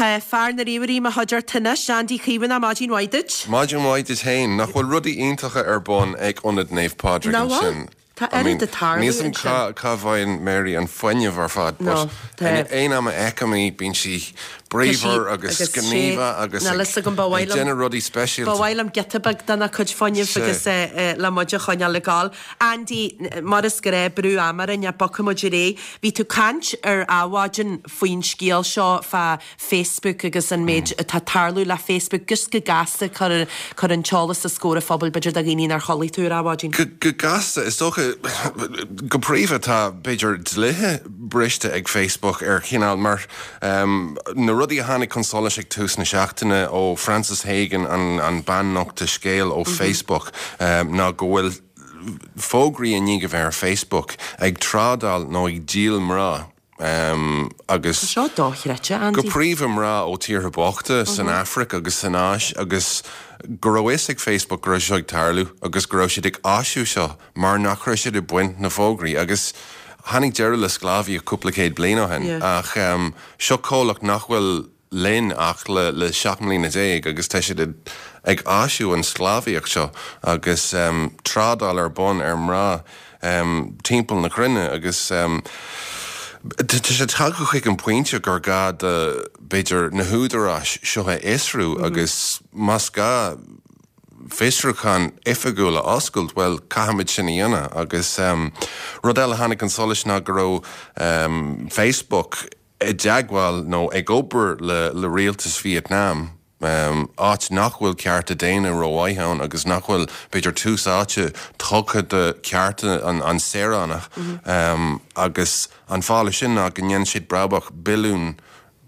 Tá fear na ríomhairí i mo chuideachta anois, Andy Caomhánach, maidin mhaith duit. Maidin mhaith duit féin. Nach bhfuil rudaí iontacha ar bun ag Ionad Naomh Pádraig Nach bhfuil? ansin? Tá oiread ag tarlú Níl 's agam ansin. cá cá bhfaigheann Mary an fuinneamh ar fad No, but tá. aon am a fheicim í bíonn sí bríomhar agus agus sé, gníomhach agus níl ag fhios agam, ba ag mhaith liom, déanamh rudaí ba speisialta. mhaith liom giota beag dena cuid fuinnimh Sea. agus le muid a choinneáil ag gabháil. Andy, mar is gnáth, brú ama orainn ach bogfaidh muid ar aghaidh. Bhí tú ag caint ar Adhmhaidin faoin scéal seo fá Facebook agus an méid atá ag tarlú le Facebook. Just go gasta, cuir an t-eolas os comhair an phobail, b'fhéidir do dhaoine nár chuala tú ar Adhmhaidin. Go gasta, is dócha, go príomha tá, b'fhéidir, dlíthe briste ag Facebook ar chineál mar na rudaí a tháinig chun solais ag tús na seachtaine ó Frances Haugen, an bean nochta scéil ó Facebook, ná go bhfuil fógraí i ndiaidh a bheith ar Facebook ag trádáil nó ag díol mná agus Tá seo dochreidte, go Andy. príomha mná ó tíortha bochta san Afraic agus san Áis agus go raibh fhios ag Facebook go raibh seo ag tarlú agus go raibh siad ag áisiú seo mar nach raibh siad ag baint na fógraí agus tháinig deireadh le sclábhaíocht cúpla céad bliain ó shin ach seo comhlacht nach bhfuil linn ach le 17 mbliana agus tá siad ag áisiú an sclábhaíocht seo agus trádáil ar bun ar mná timpeall na cruinne agus tá sé tagtha chuig an pointe gur gá do b'fhéidir na húdaráis seo a fhiosrú agus más gá fiosrúchán oifigiúil a oscailt, bhuel, caithfimid sin a dhéanamh. Agus rud eile a tháinig chun solais ná go raibh Facebook i dteagmháil nó ag obair le rialtas Vietnam, áit nach bhfuil cearta daonna rómhaith ann agus nach bhfuil, b'fhéidir, tús áite tugtha do chearta an saoránach. Agus an fáth leis sin ná go ndéanann siad brabach billiún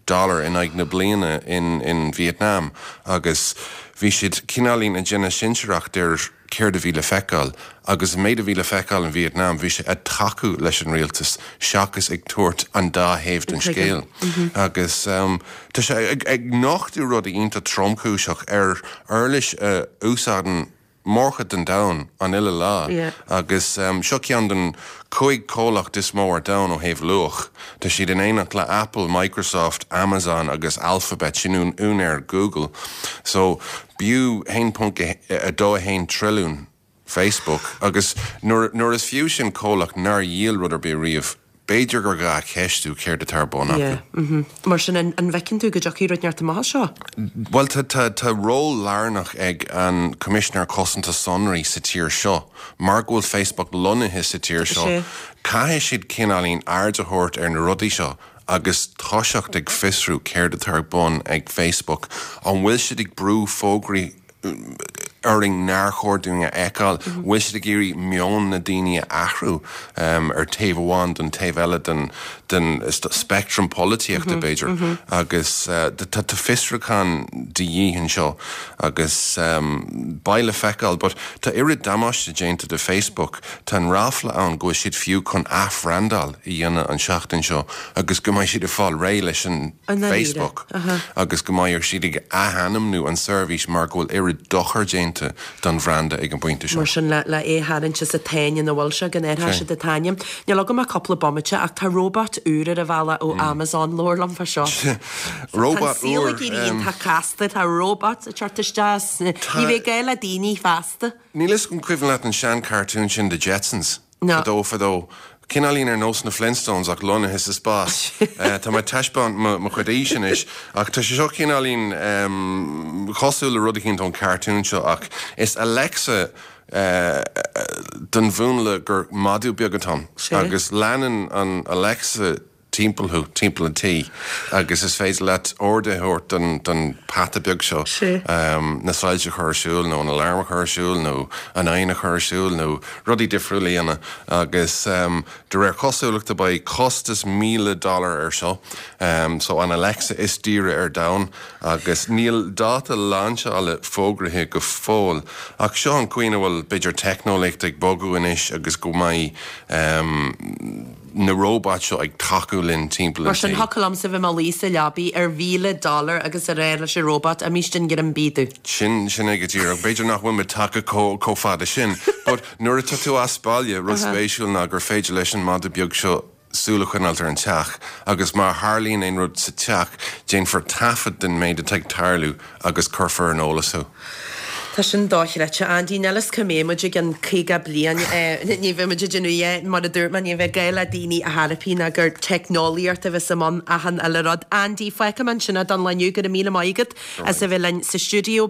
dollar in aghaidh na bliana in Vietnam agus bhí siad cineáilín ag déanamh cinsireacht ar céard a bhí le feiceáil agus an méid a bhí le feiceáil in Vietnam bhí sé ag tacú leis an rialtas seachas ag tabhairt an dá thaobh den scéal agus tá sé ag nochtadh rudaí iontach tromchúiseach ar uirlis a úsáideann mórchuid den domhan an uile lá agus seo ceann den 5 comhlacht is mó ar domhan ó thaobh luach. Tá siad in éineacht le Apple, Microsoft, Amazon agus Alphabet, sin úinéir Google. So b'fhiú 1.21 trilliún Facebook agus nuair is fiú sin comhlacht nár dhíol rud ar bith riamh, B'fhéidir gur gá ceistiú céard atá ar bun acu. Yeah, mhm. Mar sin, an bhfeiceann tú go dtiocfaidh rud inteacht amach as seo? Bhuel, tá, tá, tá ról lárnach ag an Coimisinéir Cosanta Sonraí sa tír seo. Mar go bhfuil Facebook lonnaithe sa tír seo, Sea. caithfidh siad cineáilín aird a thabhairt ar na rudaí seo agus toiseacht ag fiosrú céard atá ar bun ag Facebook. An bhfuil siad ag brú fógraí orainn nár chóir dúinn a fheiceáil. Bhfuil siad ag iarraidh meon na daoine a athrú ar taobh amháin don taobh eile den den speictream polaitíochta, b'fhéidir. Agus tá fiosrúchán de dhíth anseo agus beidh le feiceáil. But tá oiread damáiste déanta do Facebook, tá an ráfla ann go bhfuil siad fiú chun athbhrandáil a dhéanamh an seachtain seo agus go mbeidh siad ag fáil réidh leis an Facebook agus go mbeidh siad ag athainmniú an seirbhís mar go bhfuil oiread dochar déanta don bhranda ag an bpointe seo. Mar sin, le é a tharraingt as an tsáinn ina bhfuil sé, go n-athróidh siad an t-ainm. Níl agam ach cúpla bomaite ach tá róbat úr ar an bhealach ó Amazon, labhair liom fá seo. Róbat Tá an saol úr. ag éirí iontach casta, tá robots ag teacht isteach, ní bheidh gá le daoine feasta. Níl 'fhios agam an cuimhin leat an sean-cartoon sin The Jetsons? No. Fadó fadó. Cineáilín ar nós na Flintstones ach lonnaithe sa spás. Tá mé ag taispeáint mo chuid aois anois ach tá sé seo cineáilín cosúil le rud eicínt ón cartoon seo ach is Alexa den mhúnla gur madadh beag atá ann agus leanann an Alexa timpeall thú, timpeall an tí agus is féidir leat orduithe a thabhairt don don peata beag seo na soilse a chur ar siúl nó an alarm a chur ar siúl nó an oigheann a chur ar siúl nó rudaí difriúla a dhéanamh agus de réir cosúlachta beidh costas 1,000 dollar ar seo so an Alexa is daoire ar domhan agus níl dáta lainseála fógraithe go fóill ach seo an chaoi ina bhfuil b'fhéidir teicneolaíocht ag bogadh anois agus go mbeidh na róbait seo ag tacú linn timpeall Mar an sin, tí. thiocfadh liomsa bheith i mo luí sa leabaidh ar $1,000 agus a rá leis an róbat, Imíste an ghrimbídú. Sin, sin é go díreach. B'fhéidir nach bhfuil muid tagtha chomh, chomh fada sin. But nuair atá tú as baile, rud spéisiúil ná gur féidir leis an madadh beag seo. súil a choinneáilt ar an teach agus má tharlaíonn aon rud sa teach, déanfar taifead den méid atá ag tarlú agus cuirfear ar an eolas thú. Tá sin dochreidte, Andy. Níl fhios cá mbeidh muid i gcionn 50 bliain. Ní bheidh muid ag déanamh é, mar a dúirt mé, ní bheidh gá le daoine ar chor ar bith ná gur teicneolaíocht a bheas i mbun achan uile rud. Andy, fágfaidh mé ansin é don lá inniu. Go raibh míle maith agat as a bheith linn sa stiúideo.